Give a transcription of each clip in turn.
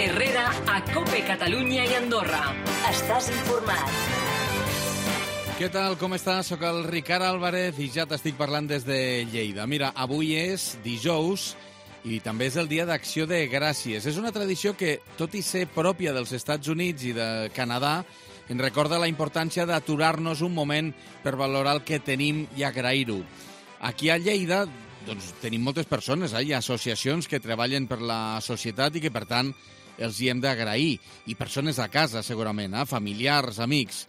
Herrera a COPE Catalunya i Andorra. Estàs informat. Què tal, com estàs? Soc el Ricard Álvarez i ja t'estic parlant des de Lleida. Mira, avui és dijous i també és el dia d'Acció de Gràcies. És una tradició que, tot i ser pròpia dels Estats Units i de Canadà, ens recorda la importància d'aturar-nos un moment per valorar el que tenim i agrair-ho. Aquí a Lleida doncs, tenim moltes persones, hi ha associacions que treballen per la societat i que, per tant, els hi hem d'agrair. I persones a casa, segurament, familiars, amics.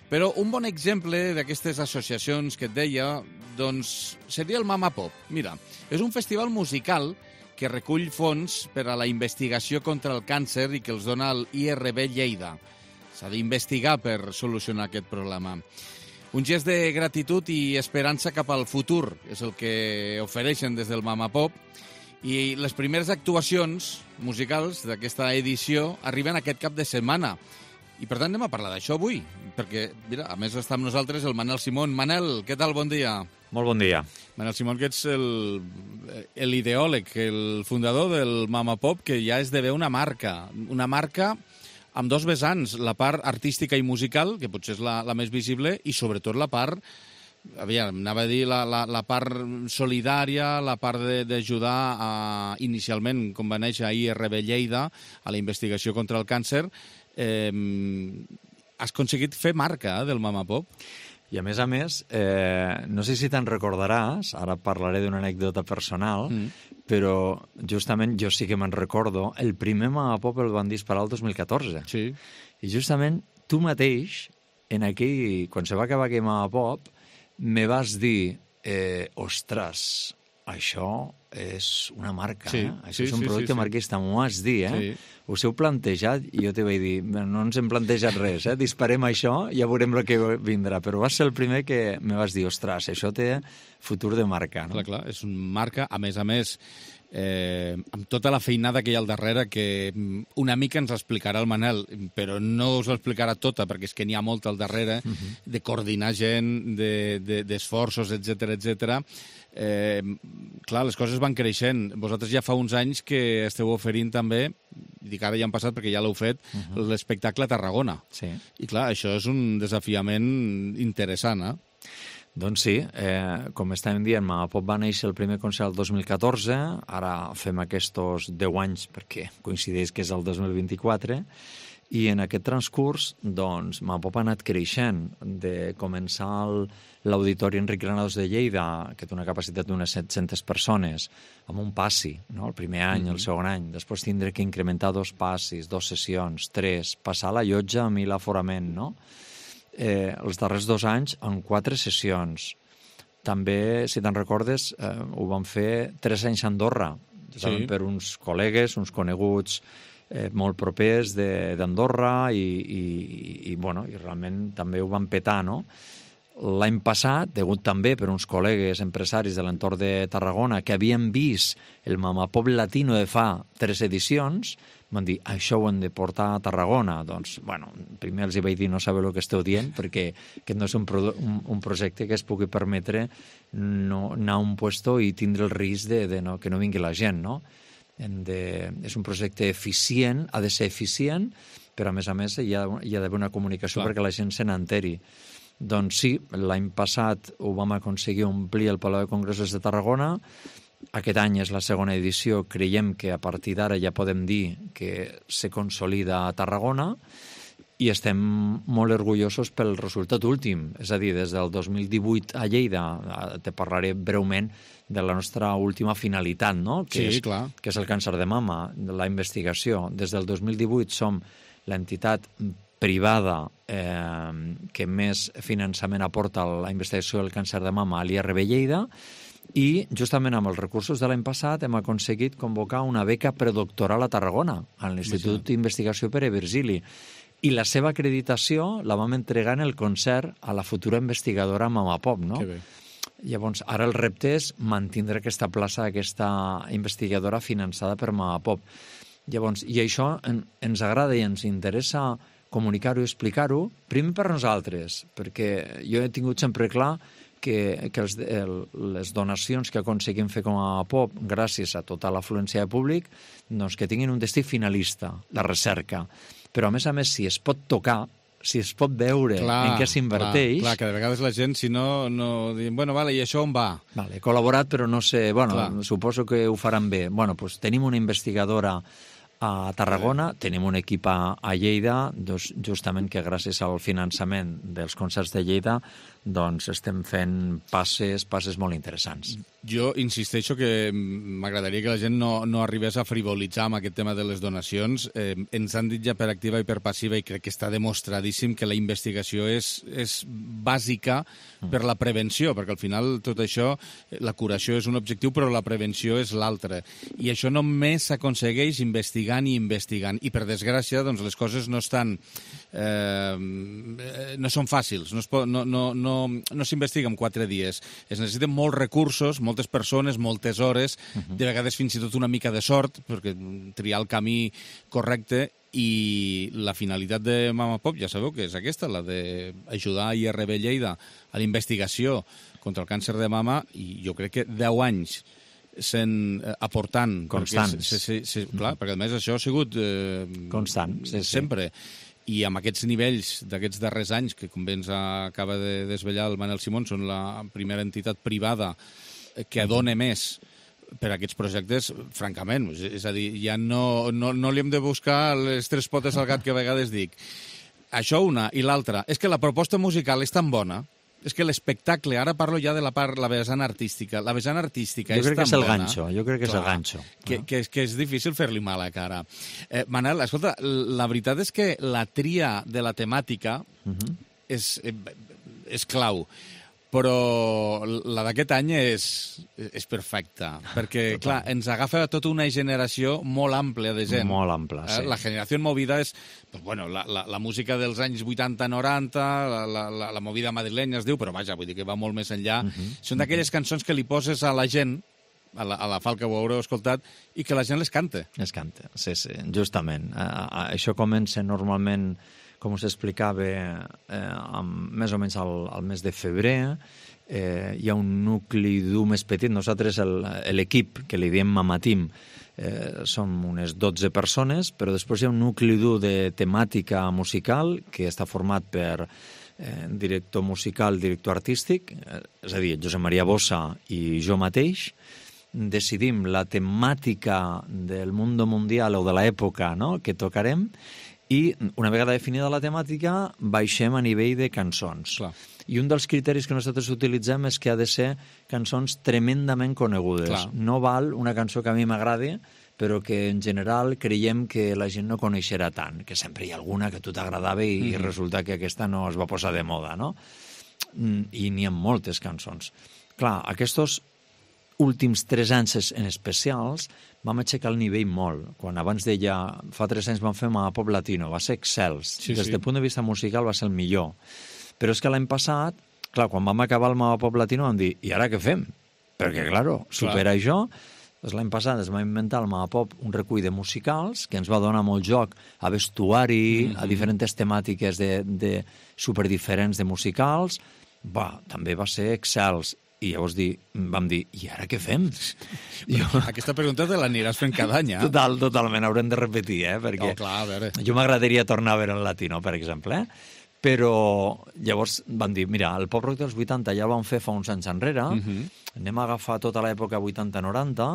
Però un bon exemple d'aquestes associacions que et deia doncs, seria el Mama Pop. Mira, és un festival musical que recull fons per a la investigació contra el càncer i que els dona el IRB Lleida. S'ha d'investigar per solucionar aquest problema. Un gest de gratitud i esperança cap al futur és el que ofereixen des del Mama Pop. I les primeres actuacions musicals d'aquesta edició arriben aquest cap de setmana. I per tant anem a parlar d'això avui, perquè, mira, a més està amb nosaltres el Manel Simón. Manel, què tal? Bon dia. Molt bon dia. Manel Simón, que ets l'ideòleg, el fundador del Mama Pop, que ja esdevé una marca amb dos vessants, la part artística i musical, que potser és la més visible, i sobretot la part, anava a dir, la part solidària, la part d'ajudar inicialment, com va néixer a IRB Lleida, a la investigació contra el càncer. Has aconseguit fer marca del Mama Pop? I a més, no sé si te'n recordaràs, ara parlaré d'una anècdota personal, però justament jo sí que me'n recordo, el primer Mama Pop el van disparar el 2014. Sí. I justament tu mateix, quan se va acabar aquell Mama Pop, me vas dir, ostres, això és una marca, això és un producte marquista, m'ho vas dir, Sí. Us heu plantejat? I jo te vaig dir, no ens hem plantejat res, disparem això, ja veurem el que vindrà. Però vas ser el primer que me vas dir, ostres, això té futur de marca, no? Clar, és una marca, a més, amb tota la feinada que hi ha al darrere, que una mica ens explicarà el Manel, però no us ho explicarà tota, perquè és que n'hi ha molt al darrere, de coordinar gent, d'esforços, etc. Clar, les coses van creixent. Vosaltres ja fa uns anys que esteu oferint també, dic ara ja han passat perquè ja l'heu fet, l'espectacle a Tarragona. Sí. I clar, això és un desafiament interessant, Doncs sí, com estàvem dient, Mama Pop va néixer el primer concert el 2014, ara fem aquests 10 anys perquè coincideix que és el 2024, i en aquest transcurs, doncs, Mama Pop ha anat creixent, de començar l'Auditori Enric Granados de Lleida, que té una capacitat d'unes 700 persones, amb un passi, no? El primer any, el segon any, després tindre que incrementar 2 passis, 2 sessions, 3, passar la llotja a 1.000 aforament, no? Els darrers 2 anys en 4 sessions. També, si te'n recordes, ho vam fer 3 anys a Andorra, per uns col·legues, uns coneguts molt propers d'Andorra i realment també ho van petar, no? L'any passat, degut també per uns col·legues empresaris de l'entorn de Tarragona que havien vist el Mama Pop Latino de fa 3 edicions, van dir, això ho hem de portar a Tarragona. Doncs, primer els vaig dir, no sabeu el que esteu dient, perquè aquest no és un projecte que es pugui permetre anar a un puesto i tindre el risc que no vingui la gent, no? És un projecte eficient, ha de ser eficient, però a més hi ha d'haver una comunicació perquè la gent se n'enteri. Doncs sí, l'any passat ho vam aconseguir omplir el Palau de Congressos de Tarragona. Aquest any és la segona edició. Creiem que a partir d'ara ja podem dir que se consolida a Tarragona i estem molt orgullosos pel resultat últim. És a dir, des del 2018 a Lleida, te parlaré breument de la nostra última finalitat, no? Que és el càncer de mama, la investigació. Des del 2018 som l'entitat privada que més finançament aporta a la investigació del càncer de mama a l'IRB Lleida, i justament amb els recursos de l'any passat hem aconseguit convocar una beca predoctoral a Tarragona, a l'Institut d'Investigació Pere Virgili, i la seva acreditació la vam entregar en el concert a la futura investigadora Mama Pop, no? Que bé. Llavors, ara el repte és mantindre aquesta plaça, aquesta investigadora finançada per Mama Pop. Llavors, i això ens agrada i ens interessa comunicar-ho i explicar-ho, primer per nosaltres, perquè jo he tingut sempre clar que les donacions que aconseguim fer com a pop, gràcies a tota l'afluència de públic, doncs que tinguin un destí finalista, la recerca. Però, a més, si es pot tocar, si es pot veure en què s'inverteix... Clar, que de vegades la gent, si no diuen, bueno, vale, i això on va? Vale, he col·laborat, però no sé... Bueno, suposo que ho faran bé. Bueno, doncs tenim una investigadora a Tarragona, tenim un equip a Lleida, doncs, justament que gràcies al finançament dels concerts de Lleida doncs estem fent passes molt interessants. Jo insisteixo que m'agradaria que la gent no arribés a frivolitzar amb aquest tema de les donacions. Ens han dit ja per activa i per passiva, i crec que està demostradíssim que la investigació és bàsica per la prevenció, perquè al final tot això, la curació és un objectiu, però la prevenció és l'altre. I això només s'aconsegueix investigant i investigant. I per desgràcia, doncs, les coses no estan... no són fàcils, no s'investiga en 4 dies. Es necessiten molts recursos, moltes persones, moltes hores, de vegades fins i tot una mica de sort, perquè triar el camí correcte, i la finalitat de Mama Pop, ja sabeu que és aquesta, la d'ajudar IRB Lleida a la investigació contra el càncer de mama, i jo crec que 10 anys aportant... Constants. Clar, perquè a més això ha sigut... constant, sí. Sempre. I amb aquests nivells d'aquests darrers anys, que com bé ens acaba de desvetllar el Manel Simón, són la primera entitat privada que dona més per a aquests projectes, francament. És a dir, ja no li hem de buscar les 3 potes al gat que a vegades dic. Això una. I l'altra, és que la proposta musical és tan bona, és que l'espectacle, ara parlo ja de la vessant artística, la vessant artística és tan bona... Jo crec que és el ganxo, és el ganxo. Que és difícil fer-li mal a cara. Manel, escolta, la veritat és que la tria de la temàtica és clau, però la d'aquest any és perfecta, perquè, clar, ens agafa tota una generació molt àmplia de gent. Molt àmplia, sí. La generació movida és, pues, bueno, la música dels anys 80-90, la movida madrilenya es diu, però vaja, vull dir que va molt més enllà. Són d'aquelles cançons que li poses a la gent, a la Falca ho haureu escoltat, i que la gent les canta. Les canta, sí, justament. Això comença normalment, com us explicava, més o menys al mes de febrer. Hi ha un nucli dur més petit. Nosaltres, l'equip, que li diem Mama Team, som unes 12 persones, però després hi ha un nucli dur de temàtica musical que està format per director musical, director artístic, és a dir, Josep Maria Bossa i jo mateix. Decidim la temàtica del mundo mundial o de l'època, no?, que tocarem, i una vegada definida la temàtica baixem a nivell de cançons. Clar. I un dels criteris que nosaltres utilitzem és que ha de ser cançons tremendament conegudes. Clar. No val una cançó que a mi m'agradi, però que en general creiem que la gent no coneixerà tant, que sempre hi ha alguna que a tu t'agradava i resulta que aquesta no es va posar de moda, no? I n'hi ha moltes cançons. Clar, aquests últims 3 anys en especials vam aixecar el nivell molt. Quan abans deia, fa 3 anys vam fer Mama Pop Latino, va ser excels. Des del punt de vista musical va ser el millor. Però és que l'any passat, clar, quan vam acabar el Mama Pop Latino vam dir, i ara què fem? Perquè, claro, supera això. Doncs l'any passat es va inventar el Mama Pop un recull de musicals que ens va donar molt joc a vestuari, a diferents temàtiques de superdiferents de musicals. També va ser excels. I llavors vam dir, i ara què fem? Aquesta pregunta te l'aniràs fent cada any, eh? Totalment, haurem de repetir, perquè clar, a veure. Jo m'agradaria tornar a veure el latino, per exemple, però llavors vam dir, mira, el pop rock dels 80 ja el vam fer fa uns anys enrere, anem a agafar tota l'època 80-90,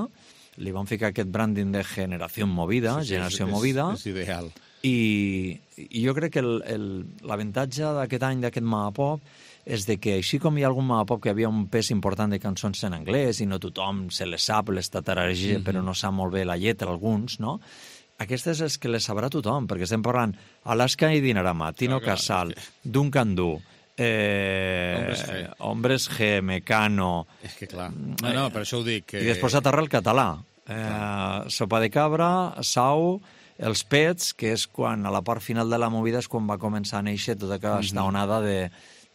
li vam ficar aquest branding de generació movida, És ideal. I jo crec que l'avantatge d'aquest any, d'aquest Mama Pop, és de que així com hi ha algun Mama Pop que havia un pes important de cançons en anglès i no tothom se les sap, les tatarareja, però no sap molt bé la lletra, alguns, no? Aquestes és que les sabrà tothom, perquè estem parlant Alaska i Dinarama, Tino Casal, Duncan Du, Hombres G, Mecano... És que clar, no, per això ho dic. I després aterra el català. Sopa de Cabra, Sau, Els Pets, que és quan, a la part final de la movida, és quan va començar a néixer tota aquesta onada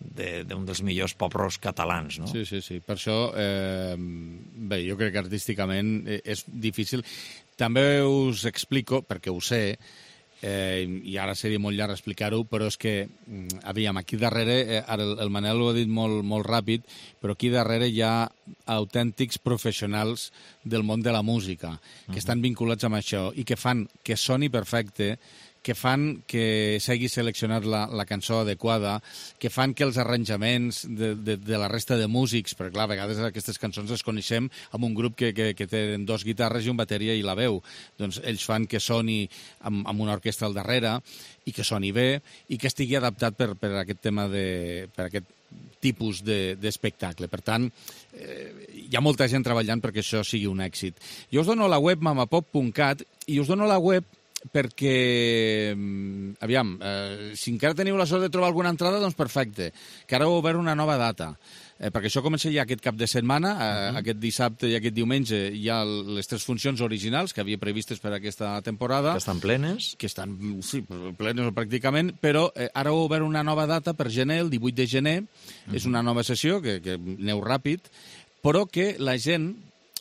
d'un dels millors pop-rocks catalans, no? Sí. Per això, bé, jo crec que artísticament és difícil. També us explico, perquè ho sé, i ara seria molt llarg explicar-ho, però és que, aviam, aquí darrere, ara el Manel ho ha dit molt ràpid, però aquí darrere hi ha autèntics professionals del món de la música, que estan vinculats amb això i que fan que soni perfecte, que fan que s'hagi seleccionat la cançó adequada, que fan que els arranjaments de la resta de músics, perquè clar, a vegades aquestes cançons les coneixem amb un grup que tenen 2 guitarres i un bateria i la veu. Doncs ells fan que soni amb una orquestra al darrere i que soni bé i que estigui adaptat per aquest tema per aquest tipus d'espectacle. Per tant, hi ha molta gent treballant perquè això sigui un èxit. Jo us dono la web mamapop.cat i us dono la web perquè, aviam, si encara teniu la sort de trobar alguna entrada, doncs perfecte, que ara heu obert una nova data, perquè això comença ja aquest cap de setmana, aquest dissabte i aquest diumenge hi ha les 3 funcions originals que havia previstes per aquesta temporada. Que estan plenes. Que estan, sí, plenes pràcticament, però ara heu obert una nova data per gener, el 18 de gener, és una nova sessió, que aneu ràpid, però que la gent,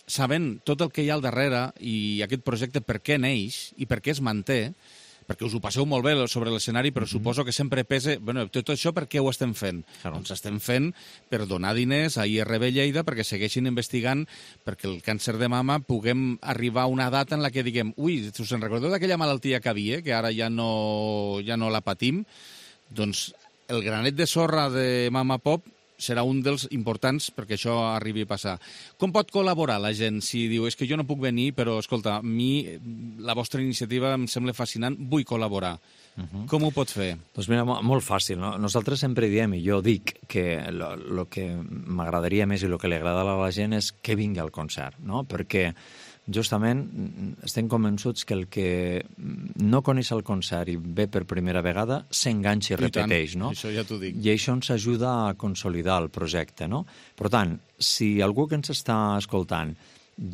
sabent tot el que hi ha al darrere i aquest projecte per què neix i per què es manté, perquè us ho passeu molt bé sobre l'escenari, però suposo que sempre pesa, bueno, tot això per què ho estem fent? Claro. Doncs estem fent per donar diners a IRB Lleida perquè segueixin investigant perquè el càncer de mama puguem arribar a una data en la que diguem, ui, us en recordeu d'aquella malaltia que havia, que ara ja no la patim? Doncs el granet de sorra de Mama Pop serà un dels importants perquè això arribi a passar. Com pot col·laborar la gent si diu és que jo no puc venir, però, escolta, a mi la vostra iniciativa em sembla fascinant, vull col·laborar. Com ho pot fer? Doncs mira, molt fàcil, no? Nosaltres sempre diem, i jo dic, que el que m'agradaria més i el que li agrada a la gent és que vingui al concert, no? Perquè justament estem convençuts que el que no coneix el concert i ve per primera vegada s'enganxa i repeteix, no? Això ja t'ho dic. I això ens ajuda a consolidar el projecte, no? Per tant, si algú que ens està escoltant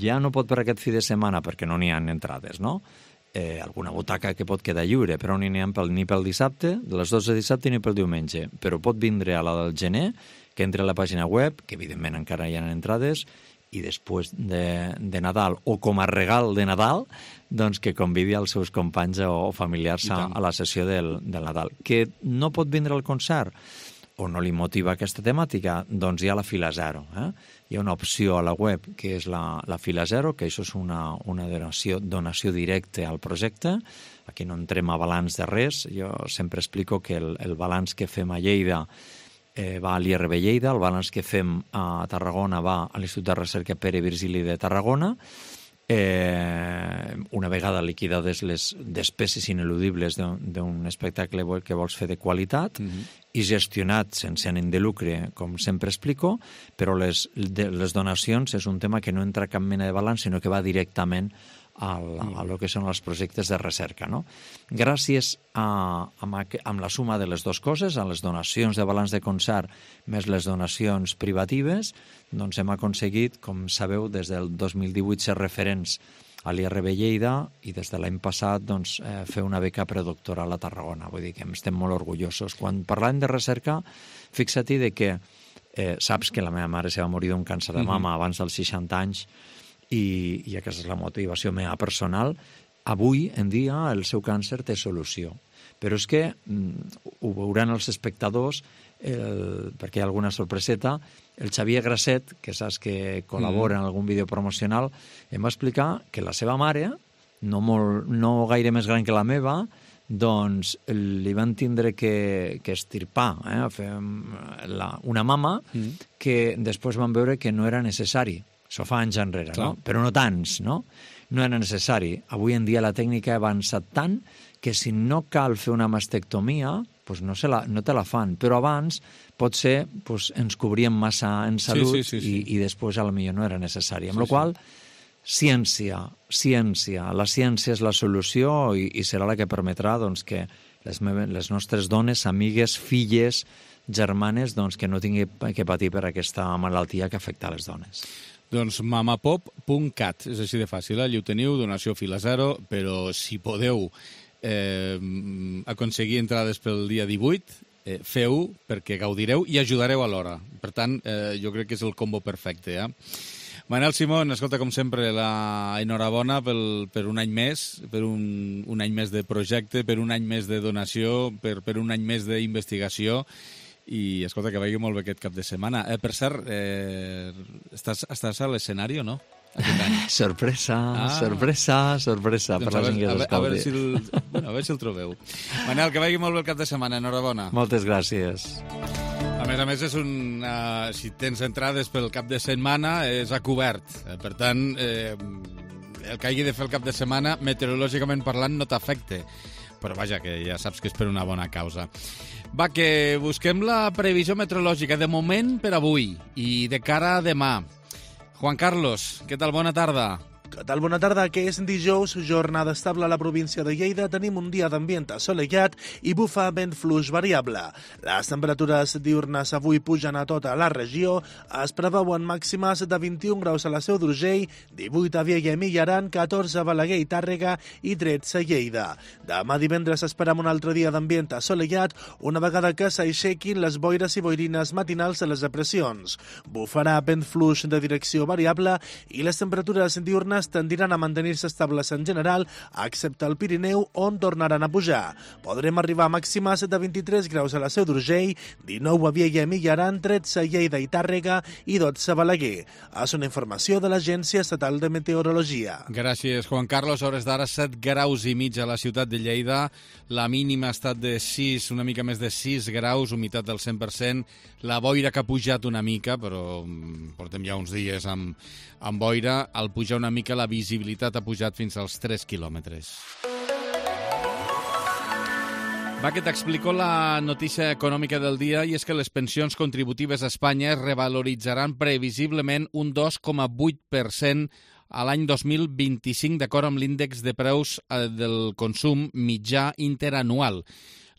ja no pot per aquest fi de setmana perquè no n'hi ha entrades, no? Alguna butaca que pot quedar lliure, però no n'hi ha ni pel dissabte, de les 12 de dissabte ni pel diumenge, però pot vindre a la del gener, que entre a la pàgina web, que evidentment encara hi ha entrades, i després de Nadal, o com a regal de Nadal, doncs que convidi els seus companys o familiars a la sessió del Nadal. Que no pot vindre al concert o no li motiva aquesta temàtica, doncs hi ha la fila zero. Hi ha una opció a la web que és la fila zero, que això és una donació directa al projecte. Aquí no entrem a balanç de res. Jo sempre explico que el balanç que fem a Lleida va a l'IRB Lleida, el balanç que fem a Tarragona va a l'Institut de Recerca Pere Virgili de Tarragona. Una vegada liquidades les despeses ineludibles d'un espectacle que vols fer de qualitat i gestionat sense ànim de lucre, com sempre explico, però les donacions és un tema que no entra cap mena de balanç, sinó que va directament a lo que són els projectes de recerca, no? Gràcies amb la suma de les dues coses, a les donacions de balanç de concert més les donacions privatives, doncs hem aconseguit, com sabeu, des del 2018 ser referents a l'IRB Lleida i des de l'any passat doncs, fer una beca predoctoral a Tarragona. Vull dir que estem molt orgullosos. Quan parlem de recerca, fixa't de que saps que la meva mare se va morir d'un càncer de mama abans dels 60 anys i aquesta és la motivació meva personal. Avui en dia el seu càncer té solució. Però és que ho veuran els espectadors, perquè hi ha alguna sorpreseta, el Xavier Grasset, que saps que col·labora en algun vídeo promocional, em va explicar que la seva mare, no gaire més gran que la meva, doncs li van tindre que estirpar, fer una mama que després van veure que no era necessari. Això fa anys enrere, no? Però no tants, no? No era necessari. Avui en dia la tècnica ha avançat tant que si no cal fer una mastectomia, doncs no te la fan. Però abans, potser, ens cobríem massa en salut i després potser no era necessari. Amb la qual cosa, ciència. La ciència és la solució i serà la que permetrà doncs, que les nostres dones, amigues, filles, germanes, doncs, que no tinguin que patir per aquesta malaltia que afecta les dones. Doncs mamapop.cat, és així de fàcil, allà ho teniu, donació fila zero, però si podeu aconseguir entrades pel dia 18, feu perquè gaudireu i ajudareu alhora. Per tant, jo crec que és el combo perfecte. Manel Simón, escolta, com sempre, la enhorabona per un any més, per un any més de projecte, per un any més de donació, per un any més d'investigació, i escolta, que vagi molt bé aquest cap de setmana. Per cert, estàs a l'escenari o no? Sorpresa, sorpresa, per la gent que l'escolti. A veure si el trobeu. Manel, que vagi molt bé el cap de setmana, enhorabona. Moltes gràcies. A més, si tens entrades pel cap de setmana, és a cobert. Per tant, el que hagi de fer el cap de setmana, meteorològicament parlant, no t'afecte. Però vaja, que ja saps que és per una bona causa. Va, que busquem la previsió meteorològica de moment per avui i de cara a demà. Juan Carlos, què tal? Bona tarda. Què tal? Bona tarda, que és dijous, jornada estable a la província de Lleida. Tenim un dia d'ambient assolellat i bufa vent fluix variable. Les temperatures diurnes avui pugen a tota la regió. Es preveuen màximes de 21 graus a la Seu d'Urgell, 18 a Viella i Aran, 14 a Balaguer i Tàrrega i 13 a Lleida. Demà divendres esperam un altre dia d'ambient assolellat, una vegada que s'aixequin les boires i boirines matinals de les depressions. Bufarà vent fluix de direcció variable i les temperatures diurnes tendiran a mantenir-se estables en general, excepte al Pirineu, on tornaran a pujar. Podrem arribar a màximes de 23 graus a la Seu d'Urgell, 19 a Viella i Aran, 13 a Lleida i Tàrrega i 12 a Balaguer. És una informació de l'Agència Estatal de Meteorologia. Gràcies, Juan Carlos. A hores d'ara, 7 graus i mig a la ciutat de Lleida. La mínima ha estat de 6, una mica més de 6 graus, humitat del 100%. La boira que ha pujat una mica, però portem ja uns dies amb boira. Al pujar una mica, la visibilitat ha pujat fins als 3 quilòmetres. Va, que t'explico la notícia econòmica del dia, i és que les pensions contributives a Espanya es revaloritzaran previsiblement un 2,8% a l'any 2025, d'acord amb l'índex de preus del consum mitjà interanual.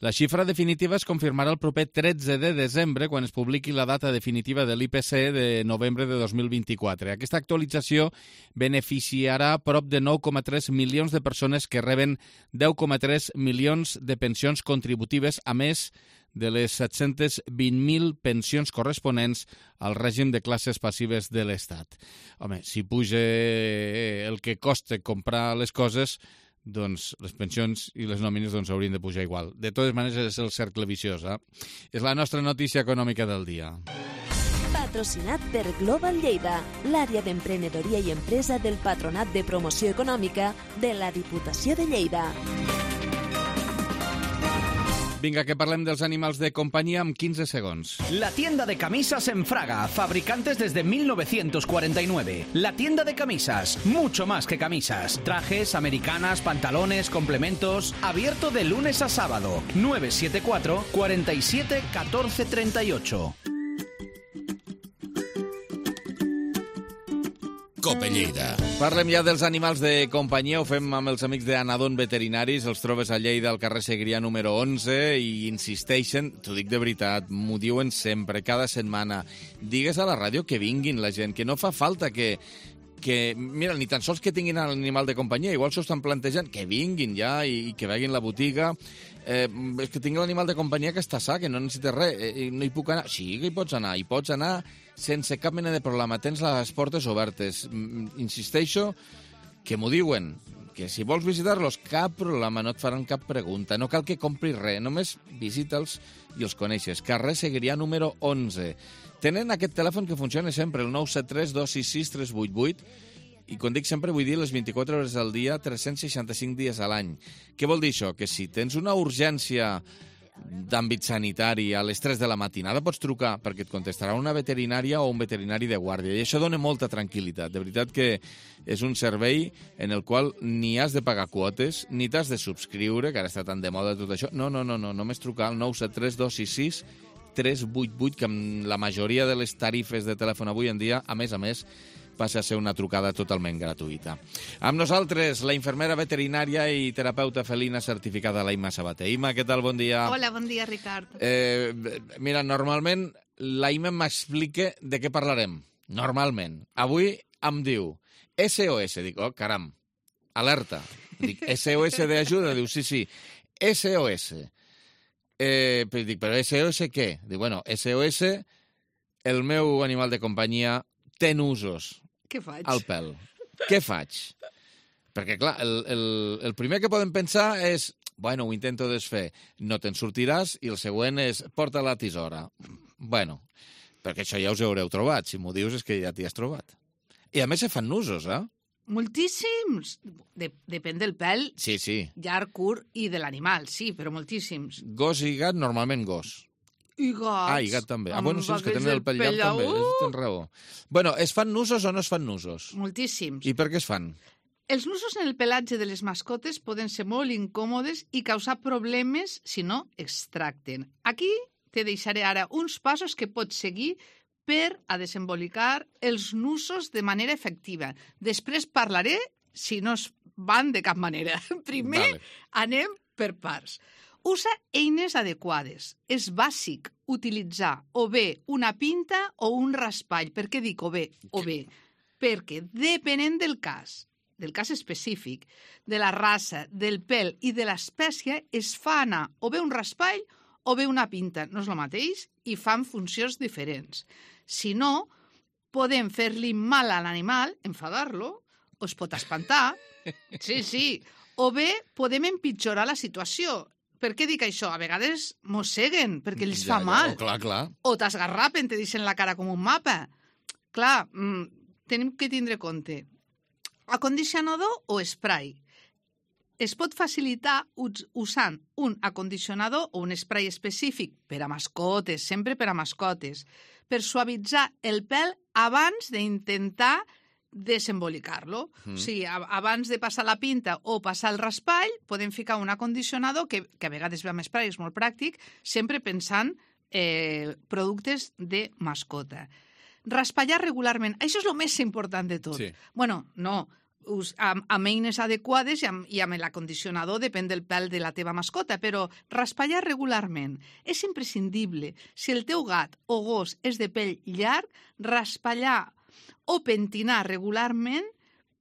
La xifra definitiva es confirmarà el proper 13 de desembre, quan es publiqui la data definitiva de l'IPC de novembre de 2024. Aquesta actualització beneficiarà prop de 9,3 milions de persones que reben 10,3 milions de pensions contributives, a més de les 720.000 pensions corresponents al règim de classes passives de l'Estat. Home, si puja el que costa comprar les coses, doncs les pensions i les nòmines haurien de pujar igual. De totes maneres, és el cercle viciós. És la nostra notícia econòmica del dia. Patrocinat per Global Lleida, l'àrea d'emprenedoria i empresa del Patronat de Promoció Econòmica de la Diputació de Lleida. Vinga, que parlem dels animals de companyia en 15 segons. La tienda de camisas en Fraga, fabricantes desde 1949. La tienda de camisas, mucho más que camisas. Trajes, americanas, pantalones, complementos. Abierto de lunes a sábado. 974 47 14 38. Cope Lleida. Parlem ja dels animals de companyia, ho fem amb els amics d'Anadon Veterinaris, els trobes a Lleida al carrer Segrià número 11 i insisteixen, t'ho dic de veritat, m'ho diuen sempre, cada setmana, digues a la ràdio que vinguin la gent, que no fa falta que mira, ni tan sols que tinguin l'animal de companyia, igual s'ho estan plantejant, que vinguin ja i que vegin la botiga, és que tingui l'animal de companyia que està sa, que no necessita res, no hi puc anar. Sí que hi pots anar sense cap mena de problema, tens les portes obertes. Insisteixo que m'ho diuen, que si vols visitar-los, cap problema, no et faran cap pregunta, no cal que compris res, només visita'ls i els coneixes. Carrer Segrià número 11. Tenen aquest telèfon que funciona sempre, el 973 266 388, i quan dic sempre vull dir les 24 hores al dia, 365 dies a l'any. Què vol dir això? Que si tens una urgència d'àmbit sanitari a les 3 de la matinada pots trucar perquè et contestarà una veterinària o un veterinari de guàrdia, i això dona molta tranquil·litat. De veritat que és un servei en el qual ni has de pagar quotes ni t'has de subscriure, que ara està tan de moda tot això. No, només trucar al 973 266 388, que amb la majoria de les tarifes de telèfon avui en dia, a més, passa a ser una trucada totalment gratuïta. Amb nosaltres, la infermera veterinària i terapeuta felina certificada, la Imma Sabater. Imma, què tal? Bon dia. Hola, bon dia, Ricard. Mira, normalment la Imma m'explica de què parlarem. Normalment. Avui em diu SOS. Dic, oh, caram, alerta. Dic, SOS d'ajuda? Diu, sí, SOS. Dic, però SOS què? Dic, bueno, SOS, el meu animal de companyia té nusos. Què faig? al pèl. Què faig? Perquè, clar, el primer que podem pensar és, bueno, ho intento desfer, no te'n sortiràs, i el següent és, porta la tisora. Bueno, perquè això ja us haureu trobat. Si m'ho dius és que ja t'hi has trobat. I a més se fan nusos, eh? Moltíssims. Depèn del pèl, Sí, sí. llarg, curt i de l'animal, sí, però moltíssims. Gos i gat, normalment gos. I gats. I gat també. Amb Bueno, sí, és que aquells tenen el pèl llarg també. llaüt. Tens raó. Bueno, es fan nusos o no es fan nusos? Moltíssims. I per què es fan? Els nusos en el pelatge de les mascotes poden ser molt incòmodes i causar problemes si no es tracten. Aquí te deixaré ara uns passos que pots seguir per a desembolicar els nusos de manera efectiva. Després parlaré si no es van de cap manera. Primer, Vale. anem per parts. Usa eines adequades. És bàsic utilitzar o bé una pinta o un raspall. Per què dic o bé? O bé. Perquè depenent del cas específic, de la raça, del pèl i de l'espècie, es fa anar o bé un raspall o bé una pinta. No és el mateix i fan funcions diferents. Si no, podem fer-li mal a l'animal, enfadar-lo, o es pot espantar. Sí, sí. O bé podem empitjorar la situació. Per què dic això? A vegades mosseguen perquè els fa mal. Clar, clar. O t'esgarrapen, te deixen la cara com un mapa. Clar, tenim que tindre compte. Acondicionador o spray. Es pot facilitar usant un acondicionador o un spray específic per a mascotes, sempre per a mascotes, per suavitzar el pèl abans d'intentar desembolicar-lo. O sigui, abans de passar la pinta o passar el raspall, podem ficar un acondicionador que a vegades ve amb spray, és molt pràctic, sempre pensant productes de mascota. Raspallar regularment. Això és el més important de tot. Sí. Bueno, no, amb eines adequades i amb l'acondicionador, depèn del pèl de la teva mascota, però raspallar regularment és imprescindible. Si el teu gat o gos és de pèl llarg, raspallar o pentinar regularment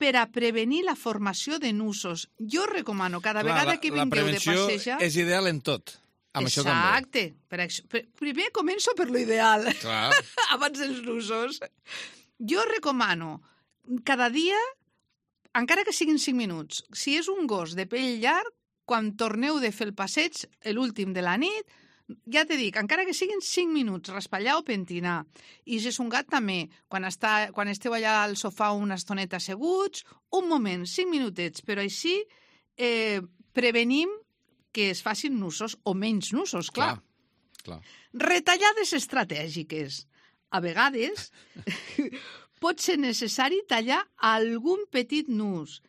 per a prevenir la formació de nusos. Jo recomano cada vegada que vingueu de passejar... La prevenció és ideal en tot. Amb això també. Exacte. Primer començo per l'ideal, Clar. abans dels nusos. Jo recomano cada dia, encara que siguin 5 minuts, si és un gos de pell llarg, quan torneu de fer el passeig, l'últim de la nit, ja te dic, encara que siguin 5 minuts, raspallar o pentinar. I si és un gat també, quan esteu allà al sofà una estoneta asseguts, un moment, 5 minutets, però així prevenim que es facin nusos o menys nusos, clar. Retallades estratègiques. A vegades pot ser necessari tallar algun petit nus.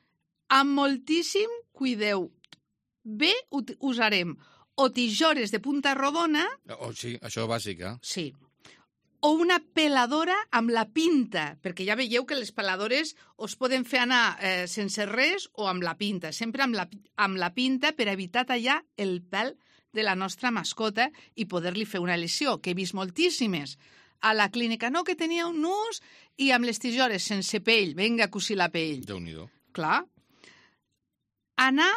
Amb moltíssim cuideu. Bé, usarem o tisores de punta rodona... Sí, això bàsic, eh? Sí. O una peladora amb la pinta, perquè ja veieu que les peladores us poden fer anar sense res o amb la pinta, sempre amb la pinta per evitar tallar el pèl de la nostra mascota i poder-li fer una lesió, que he vist moltíssimes. A la clínica, no, que tenia un nus i amb les tisores sense pell, vinga a cosir la pell. Déu-n'hi-do. Clar. Anar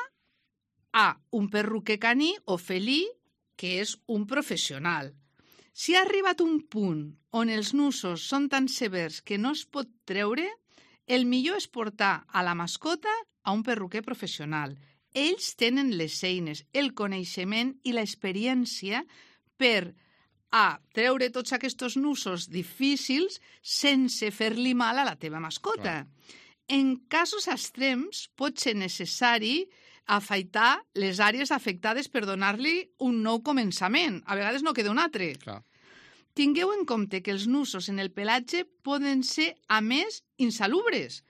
a un perruquer caní o felí, que és un professional. Si ha arribat un punt on els nusos són tan severs que no es pot treure, el millor és portar a la mascota a un perruquer professional. Ells tenen les eines, el coneixement i l'experiència per a treure tots aquests nusos difícils sense fer-li mal a la teva mascota. En casos extrems pot ser necessari afaitar les àrees afectades per donar-li un nou començament. A vegades no queda un altre. Clar. Tingueu en compte que els nusos en el pelatge poden ser, a més, insalubres,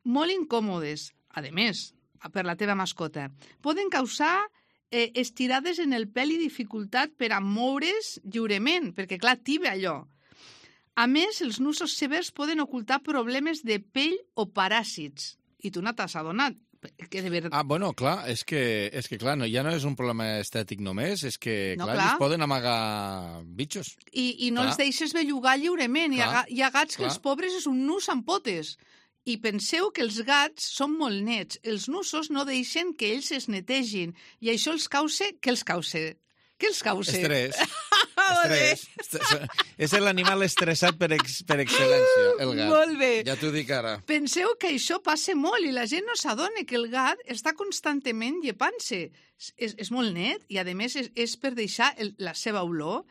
molt incòmodes, a més, per la teva mascota. Poden causar estirades en el pèl i dificultat per a moure's lliurement, perquè, clar, tiba allò. A més, els nusos severs poden ocultar problemes de pell o paràsits. I tu no t'has adonat. Que de veritat... Bueno, clar, és que clar, ja no és un problema estètic només, és que, No, clar, clar. ells poden amagar bitxos. I no Clar. els deixes bellugar lliurement. Clar, Hi ha gats que clar. els pobres és un nus amb potes. I penseu que els gats són molt nets. Els nusos no deixen que ells es netegin. I això els causa... Què els causa? Què els causa? Estrès. És l'animal estressat per excel·lència, el gat. Molt bé. Ja t'ho dic ara. Penseu que això passa molt i la gent no s'adona que el gat està constantment llepant-se. És molt net i, a més, és per deixar la seva olor.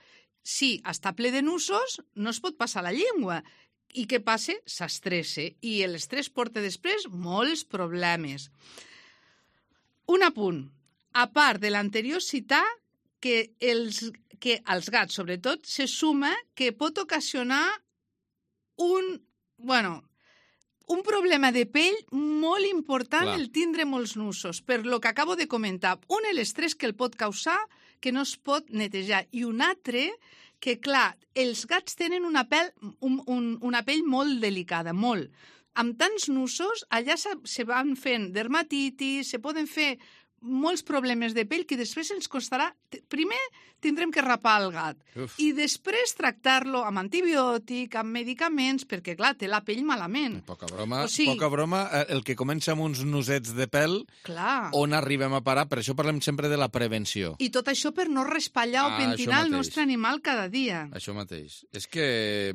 Si està ple de nusos, no es pot passar la llengua. I què passa? S'estressa. I l'estrès porta després molts problemes. Un apunt. A part de l'anterior citar, que als gats, sobretot, se suma que pot ocasionar un problema de pell molt important el tindre molts nusos, per lo que acabo de comentar. Un, l'estrès que el pot causar, que no es pot netejar, i un altre, que clar, els gats tenen una pell molt delicada, molt. Amb tants nusos, allà se van fent dermatitis, se poden fer molts problemes de pell que després ens costarà... Primer tindrem que rapar el gat i després tractar-lo amb antibiòtic, amb medicaments, perquè, clar, té la pell malament. Poca broma. El que comença amb uns nusets de pèl, on arribem a parar? Per això parlem sempre de la prevenció. I tot això per no raspallar o pentinar el nostre animal cada dia. Això mateix. És que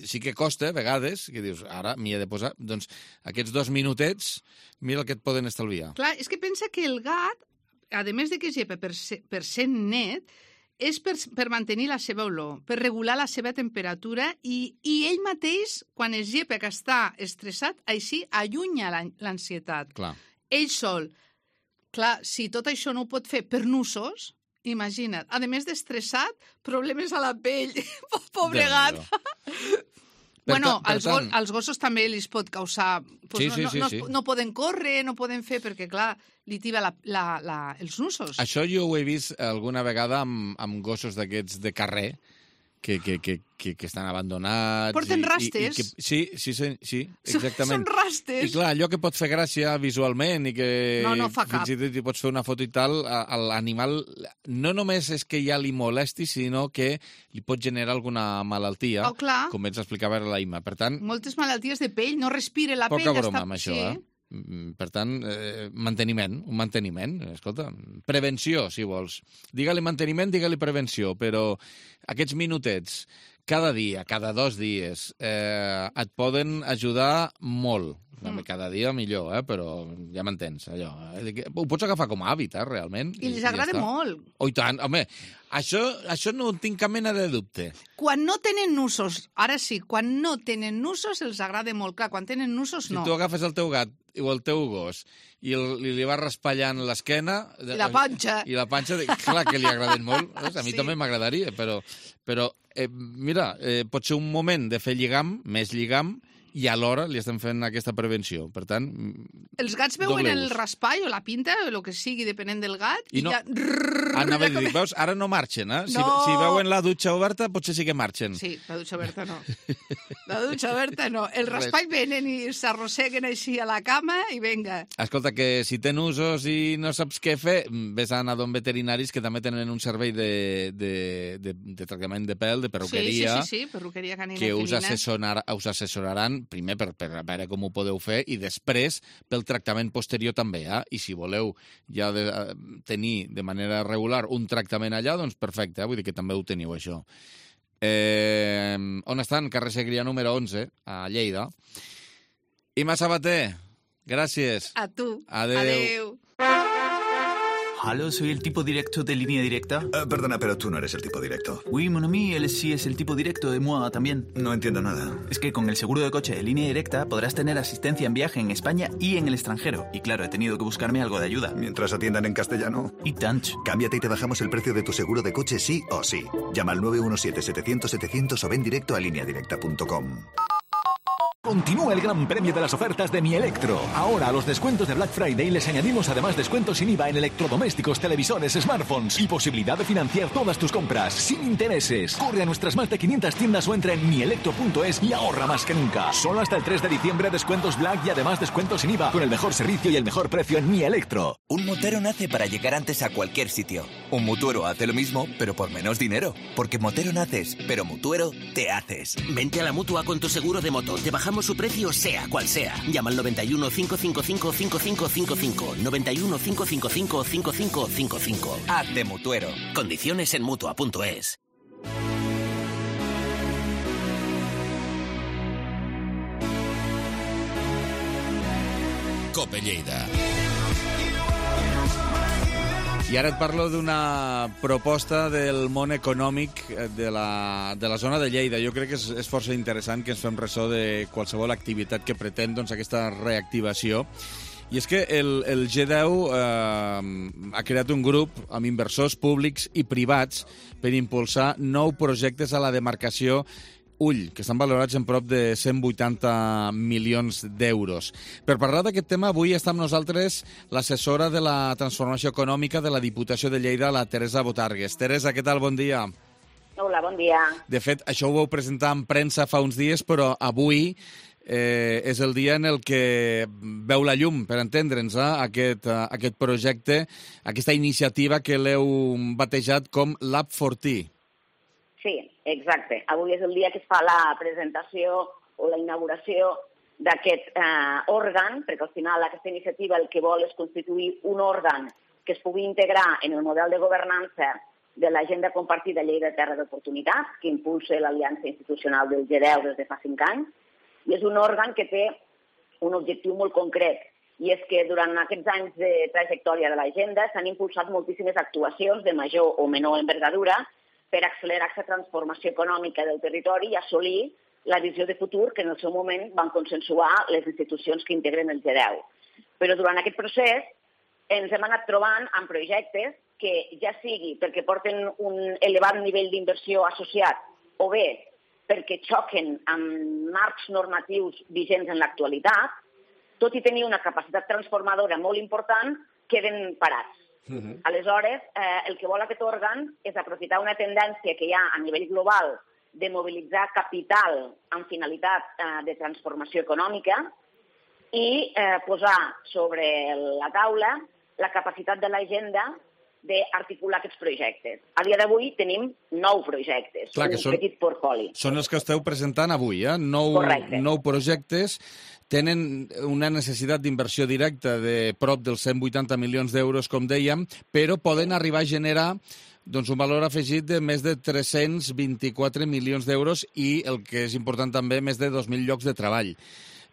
sí que costa, a vegades, que dius, ara m'hi he de posar... Doncs aquests 2 minutets, mira el que et poden estalviar. Clar, és que pensa que el gat, a més de que es llepa per ser net, és per mantenir la seva olor, per regular la seva temperatura i ell mateix, quan es llepa que està estressat, així allunya l'ansietat. Clar. Ell sol. Clar, si tot això no ho pot fer per nusos, imagina't. A més d'estressat, problemes a la pell. Pobre gat. Als gossos també els pot causar... No poden córrer, no poden fer, perquè, clar, li tiba els nusos. Això jo ho he vist alguna vegada amb gossos d'aquests de carrer, que estan abandonats... Porten rastes. Sí, exactament. Són rastes. I clar, allò que pot fer gràcia visualment i que no fa cap. fins i tot hi pots fer una foto i tal, l'animal no només és que ja li molesti, sinó que li pot generar alguna malaltia, com ens explicava la Imma. Per tant... Moltes malalties de pell, no respira la pell. Poca broma amb això, Per tant, un manteniment, escolta, prevenció, si vols. Digue-li manteniment, digue-li prevenció, però aquests minutets, cada dia, cada 2 dies, et poden ajudar molt. Cada dia millor, però ja m'entens, allò. Ho pots agafar com a hàbit, realment. I els agrada molt. Oh, i tant, home, això no en tinc cap mena de dubte. Quan no tenen nusos, ara sí, quan no tenen nusos els agrada molt. Clar, quan tenen nusos, no. Si tu agafes el teu gat o el teu gos i li vas raspallant l'esquena... I la panxa. I la panxa, clar que li agraden molt. A mi també m'agradaria, però mira, pot ser un moment de fer lligam, més lligam, i alhora li estem fent aquesta prevenció. Per tant, els gats veuen el raspall o la pinta o el que sigui, depenent del gat, i ja... Anava a dir, veus, ara no marxen, eh? Si veuen la dutxa oberta, potser sí que marxen. Sí, la dutxa oberta no. La dutxa oberta no. El raspall venen i s'arrosseguen així a la cama i venga. Escolta, que si tens usos i no saps què fer, vés a anar d'on veterinaris que també tenen un servei de tractament de pèl, de perruqueria, sí, perruqueria canina que us assessoraran primer per veure com ho podeu fer i després pel tractament posterior també. I si voleu ja tenir de manera regular un tractament allà, doncs perfecte, vull dir que també ho teniu, això. On estan? Carrer Segrià número 11, a Lleida. Imma Sabater, gràcies. A tu. Adeu. Aló, soy el tipo directo de Línea Directa. Perdona, pero tú no eres el tipo directo. Oui, mon ami, él sí es el tipo directo de moi también. No entiendo nada. Es que con el seguro de coche de Línea Directa podrás tener asistencia en viaje en España y en el extranjero. Y claro, he tenido que buscarme algo de ayuda. Mientras atiendan en castellano. Y tant. Cámbiate y te bajamos el precio de tu seguro de coche sí o sí. Llama al 917-700-700 o ven directo a lineadirecta.com. Continúa el gran premio de las ofertas de Mi Electro. Ahora a los descuentos de Black Friday les añadimos además descuentos sin IVA en electrodomésticos, televisores, smartphones y posibilidad de financiar todas tus compras sin intereses. Corre a nuestras más de 500 tiendas o entra en mielectro.es y ahorra más que nunca. Solo hasta el 3 de diciembre descuentos Black y además descuentos sin IVA con el mejor servicio y el mejor precio en Mi Electro. Un motero nace para llegar antes a cualquier sitio. Un mutuero hace lo mismo, pero por menos dinero. Porque motero naces, pero mutuero te haces. Vente a la Mutua con tu seguro de moto. Te bajamos su precio sea cual sea. Llama al 91 555 5555. 91 555 5555. Hazte mutuero. Condiciones en Mutua.es. COPE Lleida. I ara et parlo d'una proposta del món econòmic de la zona de Lleida. Jo crec que és força interessant que ens fem ressò de qualsevol activitat que pretén aquesta reactivació. I és que el G10 ha creat un grup amb inversors públics i privats per impulsar 9 projectes a la demarcació Ull, que estan valorats en prop de 180 milions d'euros. Per parlar d'aquest tema, avui està amb nosaltres l'assessora de la transformació econòmica de la Diputació de Lleida, la Teresa Botargues. Teresa, què tal? Bon dia. Hola, bon dia. De fet, això ho vau presentar en premsa fa uns dies, però avui és el dia en el que veu la llum, per entendre'ns, aquest projecte, aquesta iniciativa que l'heu batejat com Lab 40. Sí, exacte. Avui és el dia que es fa la presentació o la inauguració d'aquest òrgan, perquè al final aquesta iniciativa el que vol és constituir un òrgan que es pugui integrar en el model de governança de l'Agenda Compartida Lleida Terra d'Oportunitats, que impulsa l'Aliança Institucional del G10 des de fa 5 anys, i és un òrgan que té un objectiu molt concret, i és que durant aquests anys de trajectòria de l'agenda s'han impulsat moltíssimes actuacions de major o menor envergadura per accelerar aquesta transformació econòmica del territori i assolir la visió de futur que en el seu moment van consensuar les institucions que integren el G10. Però durant aquest procés ens hem anat trobant amb projectes que ja sigui perquè porten un elevat nivell d'inversió associat o bé perquè xoquen amb marcs normatius vigents en l'actualitat, tot i tenir una capacitat transformadora molt important, queden parats. Aleshores, el que vol aquest òrgan és aprofitar una tendència que hi ha a nivell global de mobilitzar capital amb finalitat de transformació econòmica i posar sobre la taula la capacitat de l'agenda d'articular aquests projectes. A dia d'avui tenim 9 projectes, un petit portfoli. Són els que esteu presentant avui, 9 projectes. Tenen una necessitat d'inversió directa de prop dels 180 milions d'euros, com dèiem, però poden arribar a generar un valor afegit de més de 324 milions d'euros i, el que és important també, més de 2.000 llocs de treball.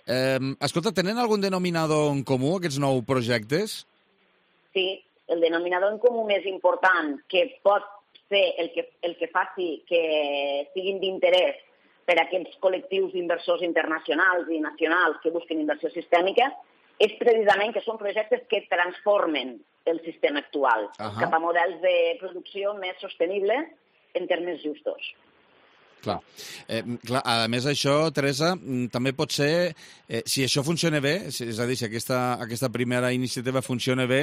Escolta, tenen algun denominador en comú, aquests 9 projectes? Sí, el denominador en comú més important que pot ser el que faci que siguin d'interès per a aquests col·lectius d'inversors internacionals i nacionals que busquen inversió sistèmica és precisament que són projectes que transformen el sistema actual cap a models de producció més sostenibles en termes justos. Clar. A més, això, Teresa, també pot ser, si això funciona bé, és a dir, si aquesta primera iniciativa funciona bé,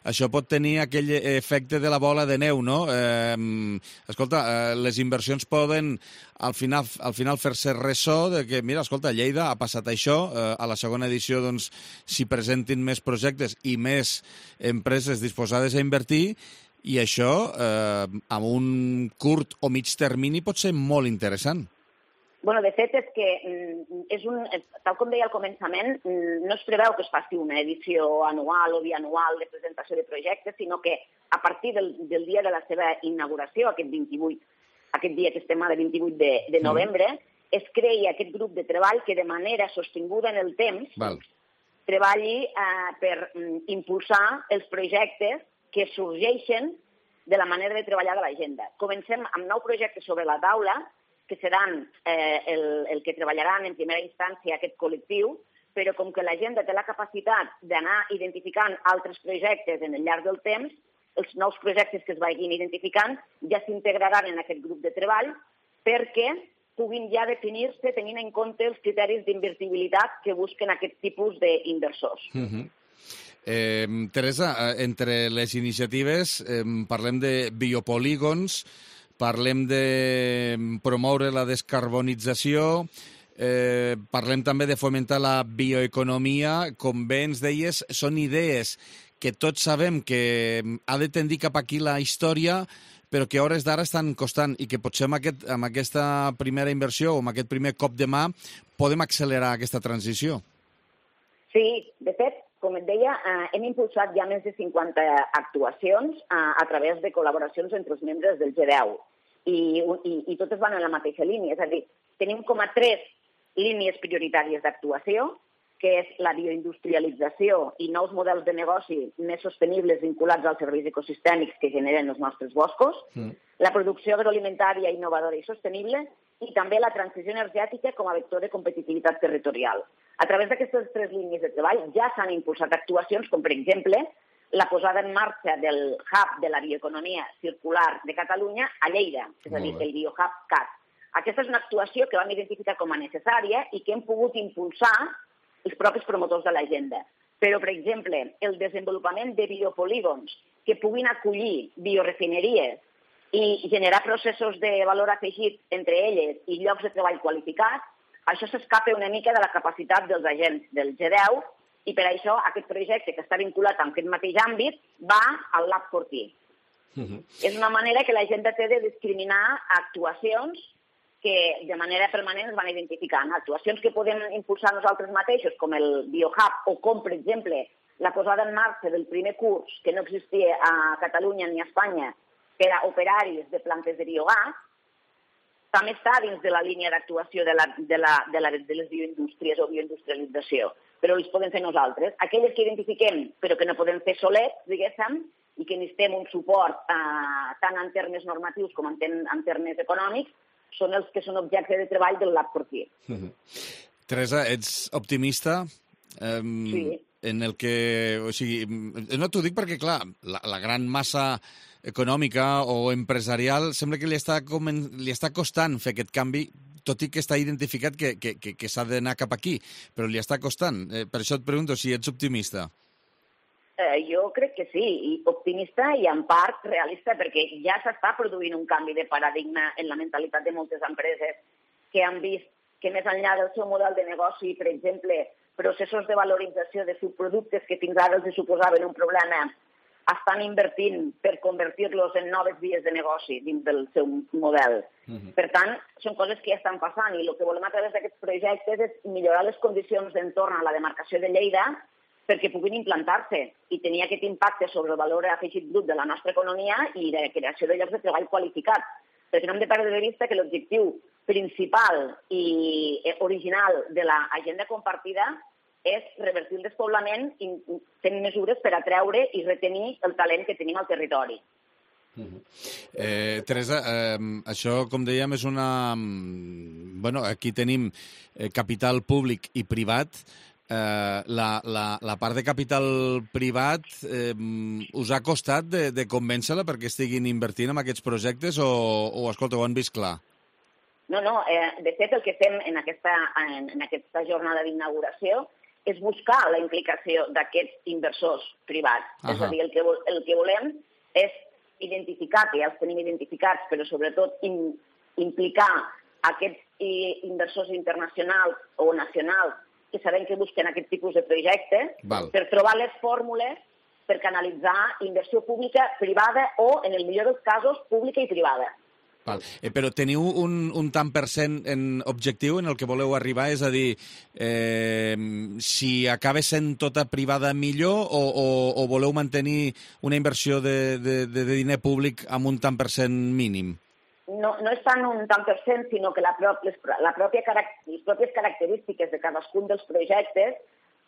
això pot tenir aquell efecte de la bola de neu, no? Escolta, les inversions poden al final fer-se ressò de que, mira, escolta, a Lleida ha passat això, a la segona edició, doncs, s'hi presentin més projectes i més empreses disposades a invertir, i això, amb un curt o mig termini, pot ser molt interessant. Bueno, de fet, és que, tal com deia al començament, no es preveu que es faci una edició anual o bianual de presentació de projectes, sinó que a partir del dia de la seva inauguració, aquest dia que estem ara, 28 de novembre, es creï aquest grup de treball que de manera sostinguda en el temps treballi per impulsar els projectes que sorgeixen de la manera de treballar de l'agenda. Comencem amb 9 projectes sobre la taula, que seran el que treballaran en primera instància aquest col·lectiu, però com que l'agenda té la capacitat d'anar identificant altres projectes en el llarg del temps, els nous projectes que es vagin identificant ja s'integraran en aquest grup de treball perquè puguin ja definir-se tenint en compte els criteris d'invertibilitat que busquen aquest tipus d'inversors. Teresa, entre les iniciatives parlem de biopolígons, parlem de promoure la descarbonització, parlem també de fomentar la bioeconomia. Com bé ens deies, són idees que tots sabem que ha de tendir cap aquí la història, però que a hores d'ara estan costant i que potser amb aquesta primera inversió o amb aquest primer cop de mà podem accelerar aquesta transició. Sí, de fet, com et deia, hem impulsat ja més de 50 actuacions a través de col·laboracions entre els membres del G10 i totes van en la mateixa línia. És a dir, tenim com a 3 línies prioritàries d'actuació que és la bioindustrialització i nous models de negoci més sostenibles vinculats als serveis ecosistèmics que generen els nostres boscos, la producció agroalimentària innovadora i sostenible i també la transició energètica com a vector de competitivitat territorial. A través d'aquestes 3 línies de treball ja s'han impulsat actuacions com, per exemple, la posada en marxa del Hub de la Bioeconomia Circular de Catalunya a Lleida, és a dir, el BioHub CAT. Aquesta és una actuació que vam identificar com a necessària i que hem pogut impulsar els propis promotors de l'agenda. Però, per exemple, el desenvolupament de biopolígons que puguin acollir biorefineries i generar processos de valor afegit entre elles i llocs de treball qualificats, això s'escapa una mica de la capacitat dels agents del G10 i per això aquest projecte que està vinculat amb aquest mateix àmbit va al Lab Fortí. És una manera que l'agenda té de discriminar actuacions que de manera permanent es van identificant. Actuacions que podem impulsar nosaltres mateixos, com el BioHub, o com, per exemple, la posada en marxa del primer curs, que no existia a Catalunya ni a Espanya, per a operaris de plantes de biogàs, també està dins de la línia d'actuació de les bioindústries o bioindustrialització, però els podem fer nosaltres. Aquelles que identifiquem, però que no podem fer solets, diguéssim, i que necessitem un suport tant en termes normatius com en termes econòmics, són els que són objecte de treball del Lab Fortí. Teresa, ets optimista? Sí. En el que... O sigui, no t'ho dic perquè, clar, la gran massa econòmica o empresarial sembla que li està costant fer aquest canvi, tot i que està identificat que s'ha d'anar cap aquí, però li està costant. Per això et pregunto si ets optimista. Jo crec que sí, i optimista i en part realista, perquè ja s'està produint un canvi de paradigma en la mentalitat de moltes empreses que han vist que més enllà del seu model de negoci, per exemple, processos de valorització de subproductes que fins ara els suposaven un problema, estan invertint per convertir-los en noves vies de negoci dins del seu model. Per tant, són coses que ja estan passant i el que volem a través d'aquests projectes és millorar les condicions d'entorn a la demarcació de Lleida perquè puguin implantar-se i tenir aquest impacte sobre el valor afegit brut de la nostra economia i de creació de llocs de treball qualificats. Perquè no hem de perdre de vista que l'objectiu principal i original de l'agenda compartida és revertir el despoblament i tenir mesures per atreure i retenir el talent que tenim al territori. Teresa, això, com dèiem, és una... Bueno, aquí tenim capital públic i privat. La part de capital privat us ha costat de convèncer-la perquè estiguin invertint en aquests projectes o escolta, ho han vist clar? No, de fet el que fem en aquesta jornada d'inauguració és buscar la implicació d'aquests inversors privats. És a dir, el que volem és identificar, que ja els tenim identificats, però sobretot implicar aquests inversors internacionals o nacionals que sabem que busquen aquest tipus de projectes per trobar les fórmules per canalitzar inversió pública, privada o, en el millor dels casos, pública i privada. Però teniu un tant per cent en objectiu en el que voleu arribar? És a dir, si acaba sent tota privada millor o voleu mantenir una inversió de diner públic amb un tant per cent mínim? No és tant un tant per cent, sinó que les pròpies característiques de cadascun dels projectes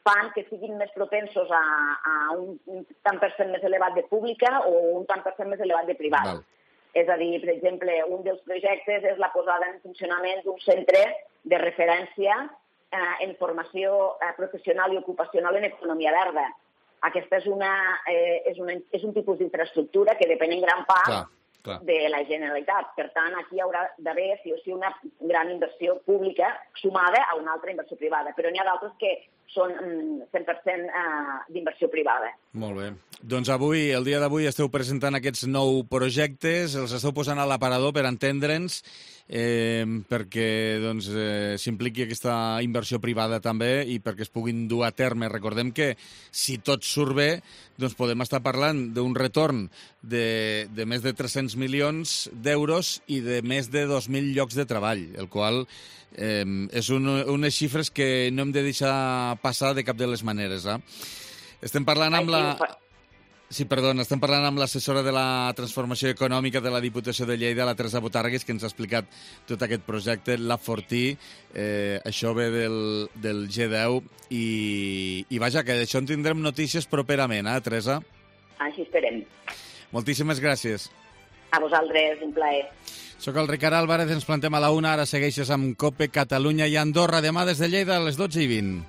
fan que siguin més propensos a un tant per cent més elevat de pública o un tant per cent més elevat de privada. És a dir, per exemple, un dels projectes és la posada en funcionament d'un centre de referència en formació professional i ocupacional en economia verda. Aquesta és un tipus d'infraestructura que depèn en gran part de la Generalitat. Per tant, aquí hi haurà d'haver, sí o sí, una gran inversió pública sumada a una altra inversió privada. Però n'hi ha d'altres que són 100% d'inversió privada. Molt bé. Doncs avui, el dia d'avui, esteu presentant aquests 9 projectes, els esteu posant a l'aparador per entendre'ns, perquè s'impliqui aquesta inversió privada també i perquè es puguin dur a terme. Recordem que si tot surt bé, doncs podem estar parlant d'un retorn de més de 300 milions d'euros i de més de 2.000 llocs de treball, el qual és unes xifres que no hem de deixar passar de cap de les maneres. Estem parlant amb la... Sí, perdona, estem parlant amb l'assessora de la transformació econòmica de la Diputació de Lleida, la Teresa Botàrgues, que ens ha explicat tot aquest projecte, la Fortí, això ve del G10, i vaja, que d'això en tindrem notícies properament, Teresa? Així esperem. Moltíssimes gràcies. A vosaltres, un plaer. Soc el Ricard Álvarez, ens plantem a la 1, ara segueixes amb COPE, Catalunya i Andorra, demà des de Lleida a les 12:20.